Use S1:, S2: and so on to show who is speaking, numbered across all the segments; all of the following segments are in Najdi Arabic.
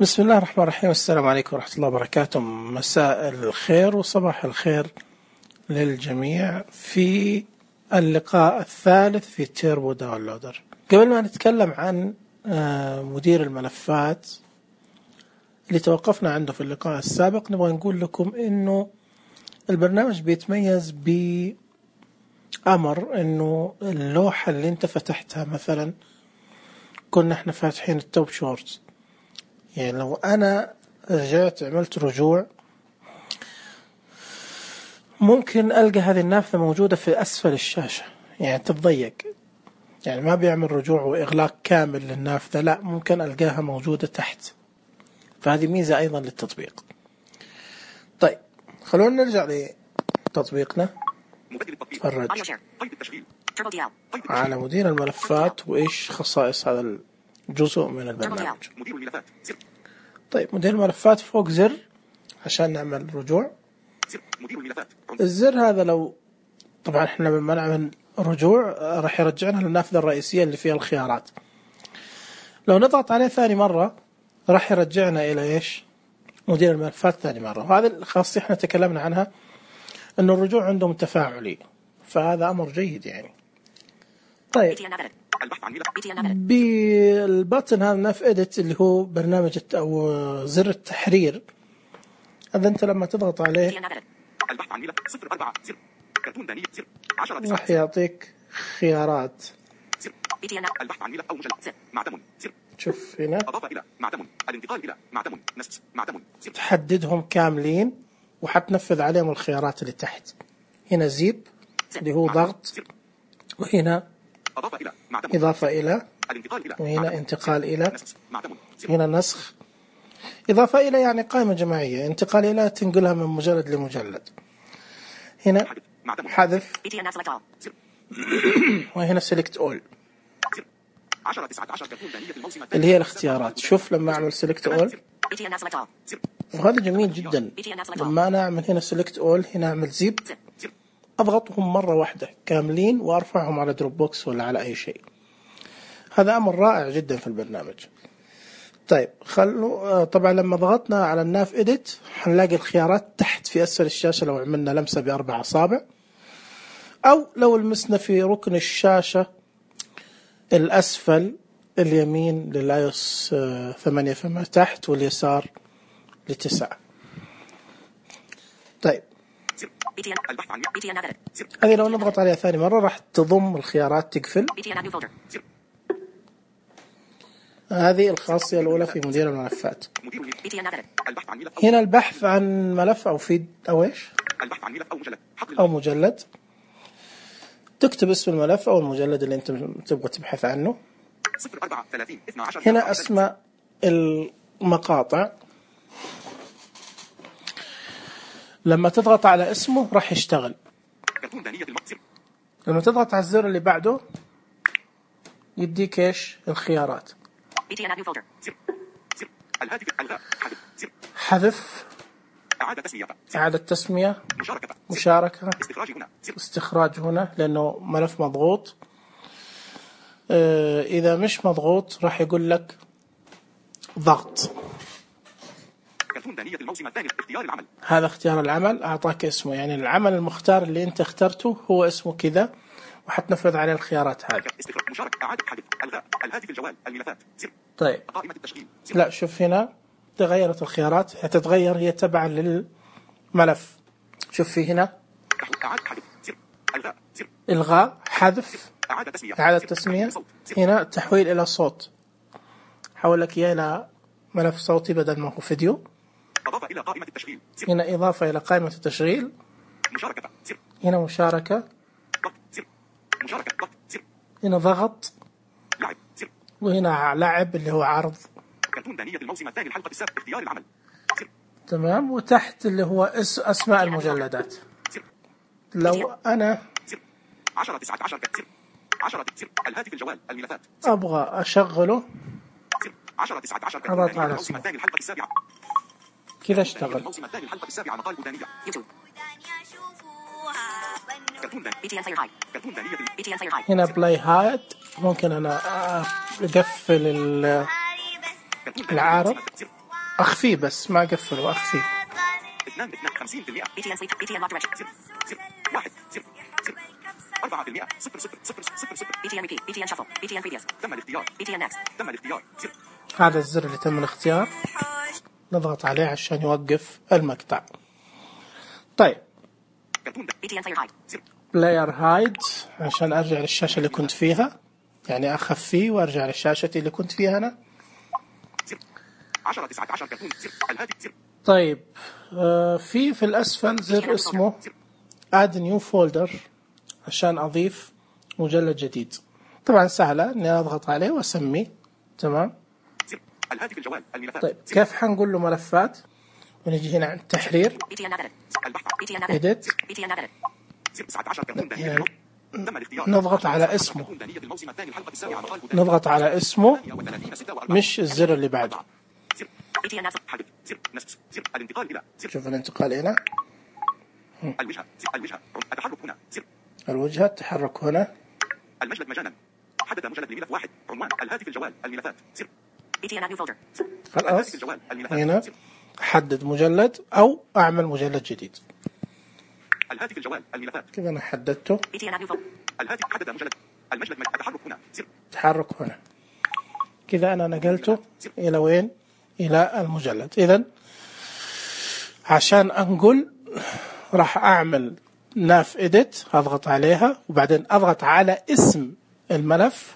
S1: بسم الله الرحمن الرحيم. السلام عليكم ورحمة الله وبركاته. مساء الخير وصباح الخير للجميع في اللقاء الثالث في تيربو داونلودر. قبل ما نتكلم عن مدير الملفات اللي توقفنا عنده في اللقاء السابق، نبغى نقول لكم إنه البرنامج بيتميز بأمر إنه اللوحة اللي انت فتحتها، مثلا كنا احنا فاتحين التوب شورتس، يعني لو أنا رجعت عملت رجوع ممكن ألقى هذه النافذة موجودة في أسفل الشاشة، يعني تتضيق، يعني ما بيعمل رجوع وإغلاق كامل للنافذة، لا، ممكن ألقاها موجودة تحت. فهذه ميزة أيضا للتطبيق. طيب خلونا نرجع لتطبيقنا، نتفرج على مدير الملفات وإيش خصائص هذا الجزء من البرنامج. طيب مدير الملفات فوق زر عشان نعمل رجوع. الزر هذا لو طبعا احنا لما نعمل رجوع راح يرجعنا للنافذة الرئيسية اللي فيها الخيارات. لو نضغط عليه ثاني مرة راح يرجعنا إلى إيش؟ مدير الملفات ثاني مرة. وهذا الخاصية احنا تكلمنا عنها إنه الرجوع عندهم تفاعلي، فهذا أمر جيد يعني. طيب بالبطن هذا ناف إديت اللي هو برنامج أو زر التحرير، هذا أنت لما تضغط عليه راح يعطيك خيارات. شوف هنا تحددهم كاملين وحتنفذ عليهم الخيارات اللي تحت. هنا زيب اللي هو ضغط، وهنا إضافة إلى، وهنا انتقال إلى، هنا نسخ. إضافة إلى يعني قائمة جماعية، انتقال إلى تنقلها من مجلد لمجلد. هنا حذف، وهنا select all اللي هي الاختيارات. شوف لما أعمل select all، وهذا جميل جدا. لما أنا أعمل هنا select all، هنا أعمل زيب، أضغطهم مرة واحدة كاملين وأرفعهم على دروب بوكس ولا على أي شيء. هذا أمر رائع جدا في البرنامج. طيب طبعا لما ضغطنا على الناف إديت هنلاقي الخيارات تحت في أسفل الشاشة لو عملنا لمسة ب4 أصابع، أو لو لمسنا في ركن الشاشة الأسفل اليمين للآيوس 8 فما تحت، واليسار ل9. طيب هذه لو نضغط عليها ثاني مرة راح تضم الخيارات تقفل. هذه الخاصية الأولى في مدير الملفات. هنا البحث عن ملف أو فيد أو إيش أو مجلد، تكتب اسم الملف أو المجلد اللي أنت تبغى تبحث عنه. هنا أسماء المقاطع، لما تضغط على اسمه راح يشتغل. لما تضغط على الزر اللي بعده يديك إيش الخيارات: حذف، إعادة تسمية، مشاركة، استخراج هنا لأنه ملف مضغوط. إذا مش مضغوط راح يقول لك ضغط. هذا اختيار العمل، أعطاك اسمه، يعني العمل المختار اللي أنت اخترته هو اسمه كذا، وحتنفذ عليه الخيارات هذه. طيب لا، شوف هنا تغيرت الخيارات، هتتغير هي تبعا للملف. شوف في هنا إلغاء، حذف، إعادة تسمية. هنا تحويل إلى صوت، حول لك إياه إلى ملف صوتي بدل ما هو فيديو. هنا إضافة إلى قائمة التشغيل. هنا مشاركة، هنا ضغط، وهنا لعب اللي هو عرض. تمام. وتحت اللي هو أسماء المجلدات. لو أنا أبغى أشغله أضغط على اسمه كذا اشتغل. هنا بلاي هايد، ممكن أنا أقفل العارض أخفيه بس ما أقفله، أخفيه.
S2: 52% BTN sleep BTN lock direction 1 0 4% 0 BTN repeat BTN shuffle BTN previous تم الاختيار BTN next تم الاختيار.
S1: هذا الزر اللي تم الاختيار، نضغط عليه عشان يوقف المقطع. طيب
S2: BTN player hide
S1: player hide عشان أرجع للشاشة اللي كنت فيها، يعني أخفيه وأرجع للشاشة اللي كنت فيها أنا.
S2: 10 19 كرتون الهاتف.
S1: طيب في الأسفل زر اسمه add new folder عشان أضيف مجلد جديد. طبعا سهلة إني أضغط عليه وأسميه. تمام.
S2: الهاتف الجوال الملفات.
S1: طيب كيف حنقول له ملفات؟ ونجي هنا عند تحرير edit نضغط على اسمه، نضغط على اسمه مش الزر اللي بعده. شوف الانتقال هنا،
S2: التحرك هنا،
S1: الوجهة التحرك هنا.
S2: المجلد مجانا، حدث مجلد لملف واحد، عنوان الهاتف الجوال الملفات.
S1: خلاص هنا أحدد مجلد أو أعمل مجلد جديد.
S2: الهاتف الجوال الملفات
S1: كذا أنا حددته.
S2: الهاتف حدد مجلد، المجلد التحرك هنا،
S1: تحرك هنا. كذا أنا نقلته إلى وين؟ إلى المجلد. إذن عشان أنقل راح أعمل ناف إديت، أضغط عليها وبعدين أضغط على اسم الملف،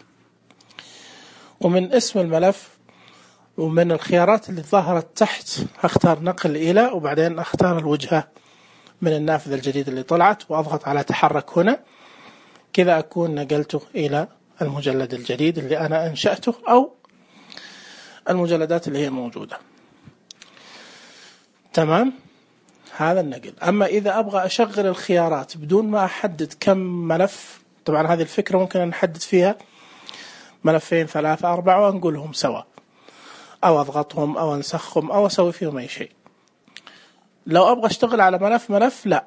S1: ومن اسم الملف ومن الخيارات اللي ظهرت تحت أختار نقل إلى، وبعدين أختار الوجهة من النافذة الجديدة اللي طلعت وأضغط على تحرك هنا. كذا أكون نقلته إلى المجلد الجديد اللي أنا أنشأته أو المجلدات اللي هي موجودة. تمام، هذا النقل. أما إذا أبغى أشغل الخيارات بدون ما أحدد كم ملف، طبعا هذه الفكرة ممكن أن نحدد فيها ملفين 3 4 وأنقلهم سوا، أو أضغطهم أو أنسخهم أو أسوي فيهم أي شيء. لو أبغى أشتغل على ملف لا،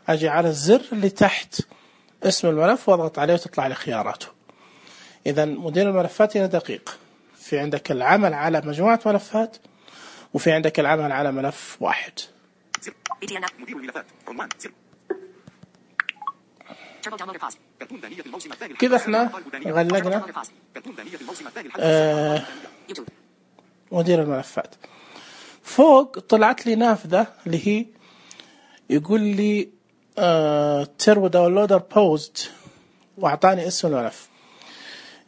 S1: أجي على الزر اللي تحت اسم الملف وأضغط عليه وتطلع لي خياراته. إذا مدير الملفات هنا دقيق، في عندك العمل على مجموعة ملفات وفي عندك العمل على ملف واحد.
S2: مدير الملفات عنوان
S1: كذا احنا غلقنا مدير الملفات. فوق طلعت لي نافذة اللي هي يقول لي تربو داونلودر بوست، واعطاني اسم الملف.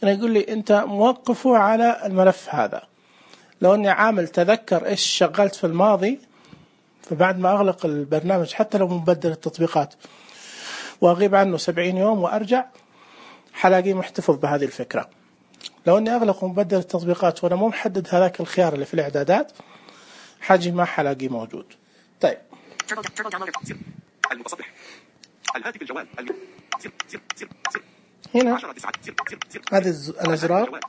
S1: يعني يقول لي انت موقفه على الملف هذا. لو اني عامل تذكر ايش شغلت في الماضي، فبعد ما اغلق البرنامج حتى لو مبدل التطبيقات واغيب عنه 70 يوم وارجع، حلاقيه محتفظ بهذه الفكرة. لو اني اغلق ومبدل التطبيقات وانا مو محدد هذاك الخيار اللي في الاعدادات، حاجي ما حلاقيه موجود. طيب
S2: المتصفح الهاتف الجوال
S1: هنا هذه الازرار،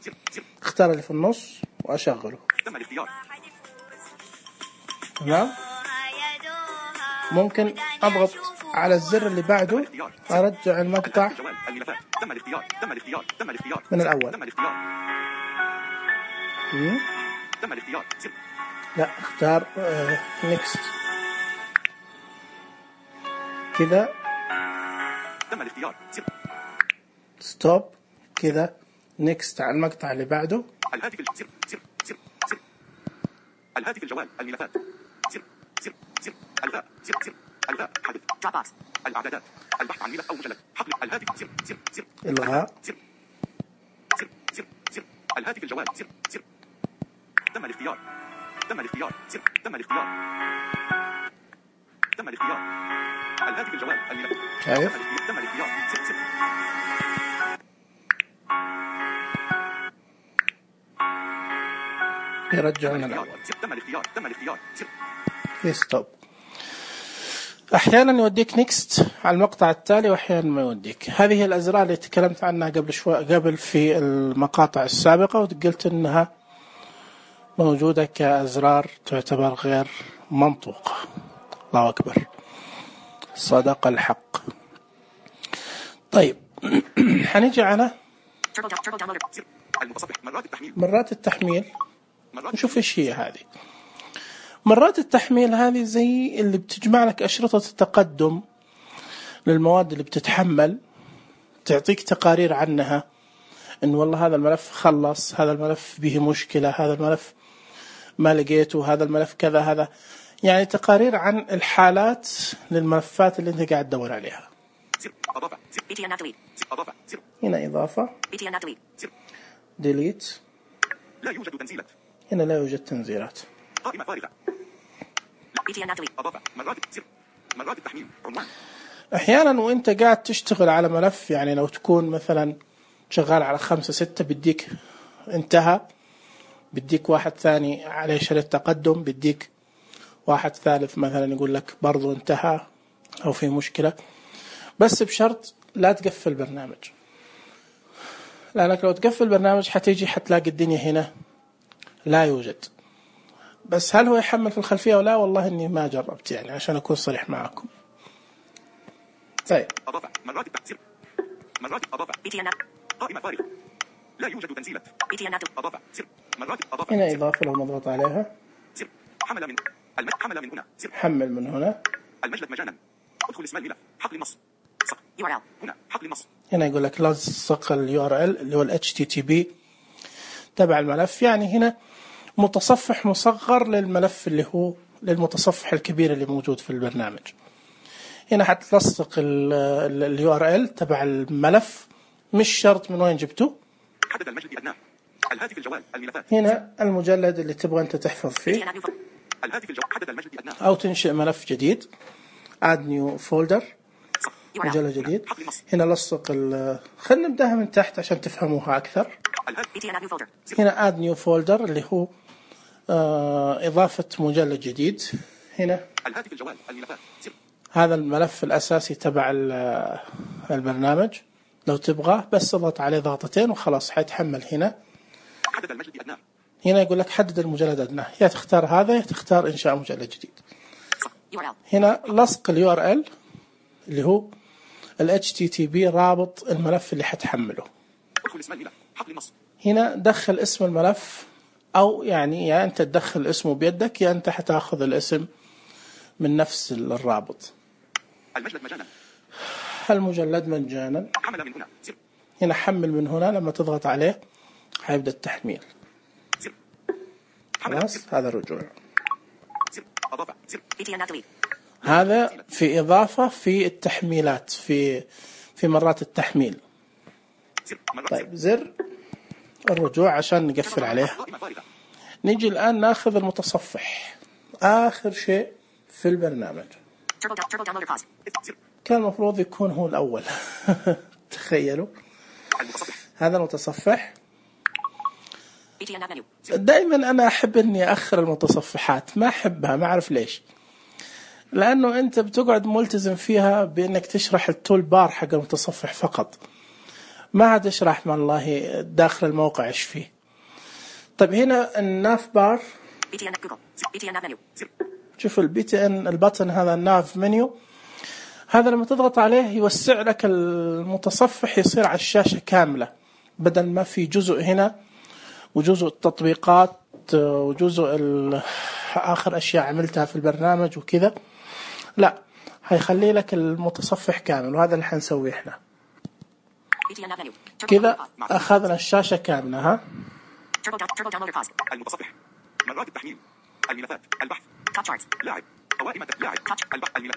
S1: اختار اللي في النص واشغله.
S2: تم الاختيار.
S1: تمام. ممكن اضغط على الزر اللي بعده ارجع المقطع من الاول. لا، اختار نيكست كذا، ستوب كذا، نيكست على المقطع اللي بعده.
S2: الهاتف الجوال الملفات الغاء حدث الاعدادات البحث عن ملف او مجلد حقل الهاتف
S1: الغاء
S2: الهاتف الجوال تم الاختيار الهاتف الجوال الملف
S1: شايف
S2: تم الاختيار
S1: يرجعون الأول.
S2: تم الاختيار
S1: في ستوب. أحيانا يوديك نيكست على المقطع التالي وأحيانا ما يوديك. هذه هي الأزرار اللي تكلمت عنها قبل في المقاطع السابقة، وقلت أنها موجودة كأزرار تعتبر غير منطوقة. الله أكبر، صدق الحق. طيب حنيجي على
S2: المتصفح مرات التحميل.
S1: نشوف إيش هي هذه. مرات التحميل هذه زي اللي بتجمع لك أشرطة التقدم للمواد اللي بتتحمل، تعطيك تقارير عنها، إن والله هذا الملف خلص، هذا الملف به مشكلة، هذا الملف ما لقيته، هذا الملف كذا، هذا يعني تقارير عن الحالات للملفات اللي أنت قاعد تدور عليها. هنا إضافة، ديليت،
S2: لا يوجد تنزيلات،
S1: هنا لا يوجد تنزيلات،
S2: قائمة فارغة، إضافة، مرات التحميل، عنوان.
S1: أحيانا وإنت قاعد تشتغل على ملف، يعني لو تكون مثلا شغال على 5 6 بديك انتهى، بديك واحد ثاني عليه شريط تقدم، بديك واحد ثالث مثلا يقول لك برضو انتهى أو في مشكلة، بس بشرط لا تقفل البرنامج، لأنك لو تقفل البرنامج حتيجي حتلاقي الدنيا هنا لا يوجد. بس هل هو يحمل في الخلفية ولا؟ والله إني ما جربت يعني عشان أكون صريح معكم. طيب
S2: إضافة، مرات التحصيل، مرات إضافة، قائمة فارغة، لا يوجد تنزيلات، إضافة، مرات إضافة،
S1: هنا إضافة لو نضغط عليها،
S2: حمل من هنا،
S1: حمل من هنا،
S2: المجلد مجانا، ادخل اسم الملف، حقل النص، URL، هنا حقل النص،
S1: هنا يقول لك لصق URL اللي هو HTTP تبع الملف، يعني هنا متصفح مصغر للملف اللي هو للمتصفح الكبير اللي موجود في البرنامج. هنا حتلصق URL تبع الملف، مش شرط من وين جبته.
S2: حدد المجلد أدناه، الهاتف الجوال، الملفات،
S1: هنا المجلد اللي تبغى أنت تحفظ فيه،
S2: الهاتف الجوال، حدد المجلد أدناه،
S1: أو تنشئ ملف جديد، add new folder، مجلد جديد. هنا لصق خلينا نبدأها من تحت عشان تفهموها أكثر. هنا add new folder اللي هو إضافة مجلد جديد. هنا
S2: الهاتف الجوال، الملفات،
S1: هذا الملف الأساسي تبع البرنامج، لو تبغاه بس اضغط عليه ضغطتين وخلاص حيتحمل. هنا
S2: حدد المجلد أدناه،
S1: هنا يقول لك حدد المجلد أدناه، يا تختار هذا يا تختار إنشاء مجلد جديد. هنا لصق URL اللي هو HTTP رابط الملف اللي حتحمله.
S2: ادخل اسم الملف، حقل النص،
S1: هنا دخل اسم الملف، أو يعني يا أنت تدخل اسمه بيدك يا أنت حتاخذ الاسم من نفس الرابط.
S2: المجلد مجانا،
S1: المجلد مجانا،
S2: حمل من هنا،
S1: هنا حمل من هنا، لما تضغط عليه حيبدأ التحميل. خلاص هذا الرجوع.
S2: إضافة،
S1: هذا في إضافة في التحميلات، في مرات التحميل. طيب زر الرجوع عشان نقفل عليه. نيجي الآن ناخذ المتصفح، آخر شيء في البرنامج. كان المفروض يكون هو الأول. تخيلوا هذا المتصفح. دائما أنا أحب أني أخر المتصفحات، ما أحبها، ما أعرف ليش، لأنه أنت بتقعد ملتزم فيها بأنك تشرح التول بار حق المتصفح فقط، ما هتشرح والله داخل الموقع إيش فيه. طيب هنا الناف بار، شوف الBTN البطن هذا الناف منيو، هذا لما تضغط عليه يوسع لك المتصفح، يصير على الشاشة كاملة، بدل ما في جزء هنا وجزء التطبيقات وجزء آخر أشياء عملتها في البرنامج وكذا، لا هيخلي لك المتصفح كامل، وهذا اللي حنسويه احنا. كذا أخذنا الشاشة كاملة. ها
S2: المتصفح، مرات التحميل، الملفات، البحث، لاعب، قوائم لاعب،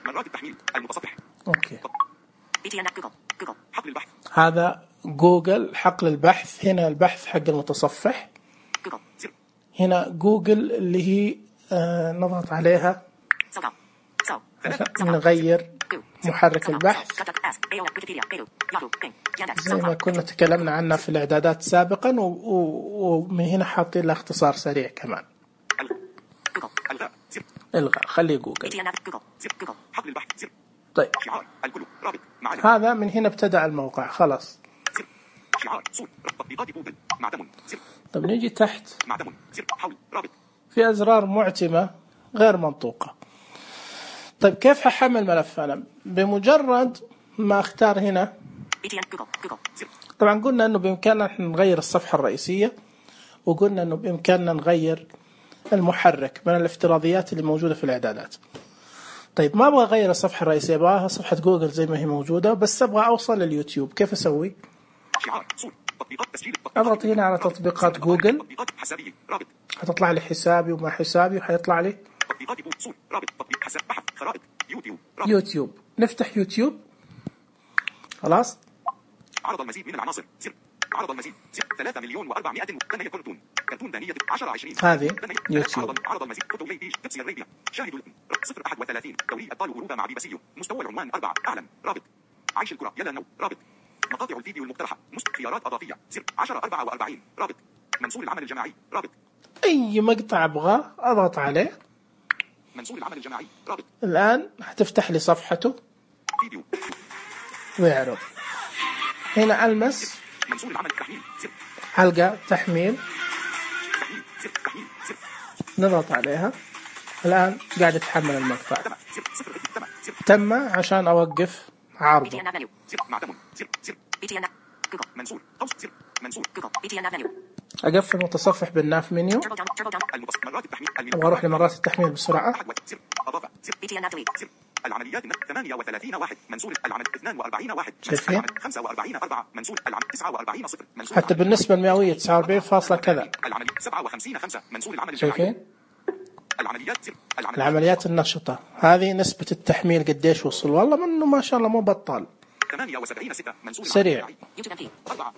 S2: مرات التحميل، المتصفح.
S1: أوكي.
S2: حقل البحث،
S1: هذا جوجل حقل البحث. هنا البحث حق المتصفح، هنا جوجل اللي هي نضغط عليها نغير محرك البحث زي ما كنا تكلمنا عنه في الإعدادات سابقا، ومن هنا حاطين له اختصار سريع كمان. الغاء، خليه جوجل.
S2: حقل البحث.
S1: طيب هذا من هنا ابتدأ الموقع خلاص.
S2: شعار صوت تطبيقات جوجل معدم.
S1: طب نيجي تحت،
S2: معدم حول رابط،
S1: في أزرار معتمة غير منطوقة. طيب كيف ححمل ملف؟ أنا بمجرد ما اختار هنا، طبعا قلنا أنه بإمكاننا نغير الصفحة الرئيسية، وقلنا أنه بإمكاننا نغير المحرك من الافتراضيات اللي موجودة في الإعدادات. طيب ما أبغى أغير الصفحة الرئيسية، أبغاها صفحة جوجل زي ما هي موجودة، بس أبغى أوصل لليوتيوب. كيف أسوي؟ أضغط هنا على تطبيقات جوجل، هتطلع لي حسابي وما حسابي، وحيطلع لي يوتيوب. نفتح يوتيوب. خلاص.
S2: عرض المزيد من العناصر. عرض المزيد 3,400,000 كرتون. كرتون دانية 10-20.
S1: هذه يوتيوب.
S2: عرض المزيد فوتو ليبيج تبسي الريبيا. شاهد 031 دوري أبطال أوروبا مع بيبسيو. مستوى العنوان 4 أعلم. رابط عيش الكرة يلا نو. رابط مقاطع الفيديو المقترحة. خيارات إضافية 10-44. رابط منصور العمل الجماعي. رابط
S1: أي مقطع أبغاه أضغط عليه.
S2: منصور العمل الجماعي. رابط
S1: الآن هتفتح لي صفحته
S2: فيديو
S1: ويعرض. هنا ألمس
S2: منصور العمل تحميل.
S1: حلقة تحميل، نضغط عليها. الآن قاعد يتحمل المقطع. تم عشان أوقف عرضه. أقفل متصفح بالناف منيو. أبغى أروح لمرات التحميل بسرعة.
S2: العمليات 38 واحد. منصور العمل 42 واحد.
S1: شايفين؟
S2: 45 4. منصور العمل 49 0.
S1: حتى بالنسبة المئوية 49 فاصلة كذا.
S2: العملية 57 5. منصور العمل
S1: شايفين؟
S2: العمليات
S1: العمليات النشطة هذه نسبة التحميل قديش وصل؟ والله منه ما شاء الله مو بطال.
S2: 78 6. منصور
S1: سريع.
S2: 4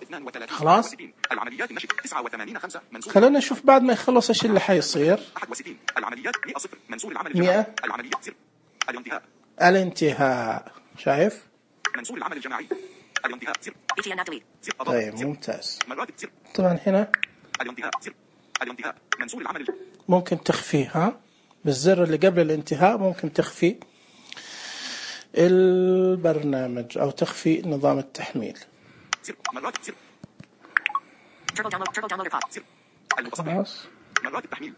S1: خلاص.
S2: العمليات النشط 89 5. منصور
S1: خلونا نشوف بعد ما يخلص ايش اللي حيصير.
S2: 61. العمليات 100 0. منصور العمل
S1: 100.
S2: العمليات 0. الانتهاء.
S1: الانتهاء. شايف؟
S2: منصور العمل الجماعي. الانتهاء 0.
S1: طيب ممتاز.
S2: مرات 0.
S1: طبعا هنا
S2: الانتهاء 0. الانتهاء. منصور العمل
S1: ممكن تخفيه، ها بالزر اللي قبل الانتهاء ممكن تخفي البرنامج أو تخفي نظام التحميل.
S2: مرات 0.
S1: خلاص.
S2: مرات التحميل.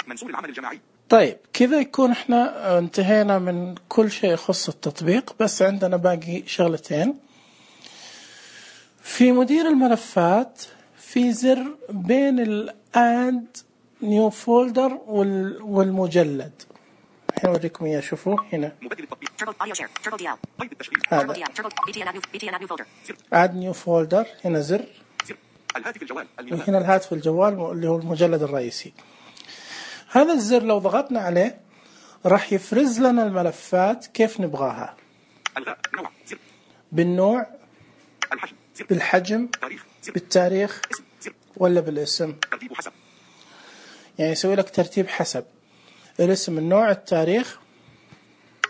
S2: منصور العمل الجماعي.
S1: طيب كذا يكون احنا انتهينا من كل شيء يخص التطبيق، بس عندنا باقي شغلتين. في مدير الملفات في زر بين الاد نيو فولدر والمجلد. الحين اوريكم اياه. شوفوا هنا هذا اد نيو فولدر. هنا زر
S2: الهاتف الجوال.
S1: هنا الهاتف الجوال اللي هو المجلد الرئيسي. هذا الزر لو ضغطنا عليه راح يفرز لنا الملفات كيف نبغاها.
S2: الغاء نوع.
S1: بالنوع،
S2: الحجم،
S1: بالحجم، بالتاريخ ولا بالاسم.
S2: ترتيب حسب.
S1: يعني يسوي لك ترتيب حسب الاسم، النوع، التاريخ،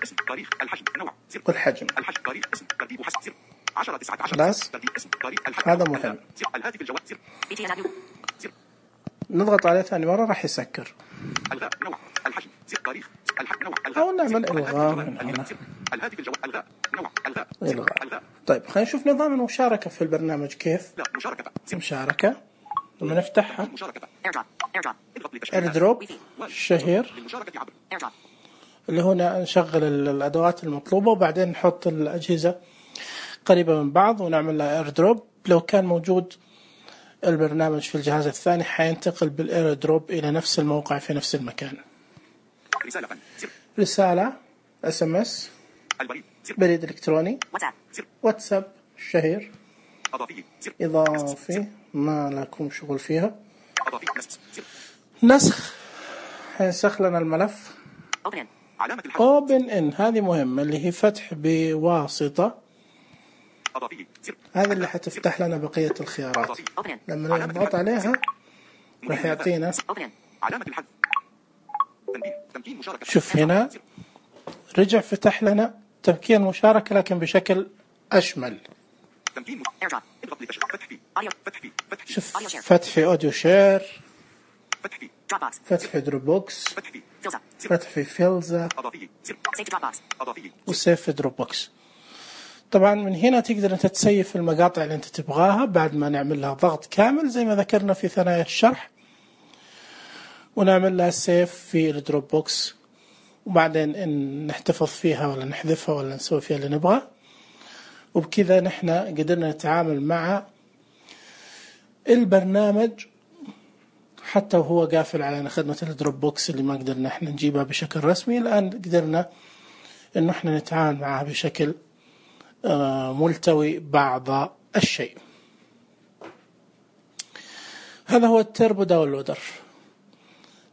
S2: اسم، تاريخ، الحجم، نوع،
S1: والحجم.
S2: الحجم، تاريخ، اسم، ترتيب حسب. 10 19.
S1: خلاص.
S2: ترتيب اسم، تاريخ، الحجم.
S1: هذا مهم.
S2: الهاتف الجوال.
S1: نضغط عليه ثاني مرة راح يسكر.
S2: الغاء نوع. الحجم، تاريخ، الحجم، نوع.
S1: أو نعمل إلغاء من هنا.
S2: الهاتف الجوال. الغاء نوع. الغاء.
S1: إلغاء. طيب خلينا نشوف نظام المشاركة في البرنامج كيف.
S2: لا مشاركة.
S1: مشاركة لما نفتحها.
S2: مشاركة.
S1: ايردروب الشهير اللي هنا نشغل الأدوات المطلوبة وبعدين نحط الأجهزة قريبة من بعض ونعمل لها ايردروب. لو كان موجود البرنامج في الجهاز الثاني حينتقل بالايردروب إلى نفس الموقع في نفس المكان. رسالة SMS، بريد إلكتروني، واتساب الشهير، إضافي ما لكم شغل فيها، نسخ حينسخ لنا الملف، Open in هذه مهمة اللي هي فتح بواسطة. هذه اللي حتفتح لنا بقية الخيارات. لما نضغط عليها راح يعطينا. شوف هنا رجع فتح لنا تمكين مشاركة لكن بشكل أشمل. شوف فتح في أوديو شير، فتح في دروبوكس، فتح في فيلزا، وسيف في دروبوكس. طبعا من هنا تقدر أنت تسيف المقاطع اللي أنت تبغاها بعد ما نعمل لها ضغط كامل زي ما ذكرنا في ثنايا الشرح، ونعمل لها سيف في الدروبوكس، وبعدين إن نحتفظ فيها ولا نحذفها ولا نسوي فيها اللي نبغاه. وبكذا نحن قدرنا نتعامل مع البرنامج حتى وهو قافل علينا خدمة الدروب بوكس اللي ما قدرنا احنا نجيبها بشكل رسمي، الآن قدرنا انه احنا نتعامل معها بشكل ملتوي بعض الشيء. هذا هو التربو داونلودر.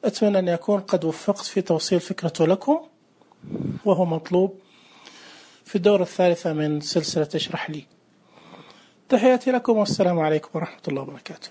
S1: أتمنى أن أكون قد وفقت في توصيل فكرته لكم، وهو مطلوب في الدورة الثالثة من سلسلة اشرح لي. تحياتي لكم والسلام عليكم ورحمة الله وبركاته.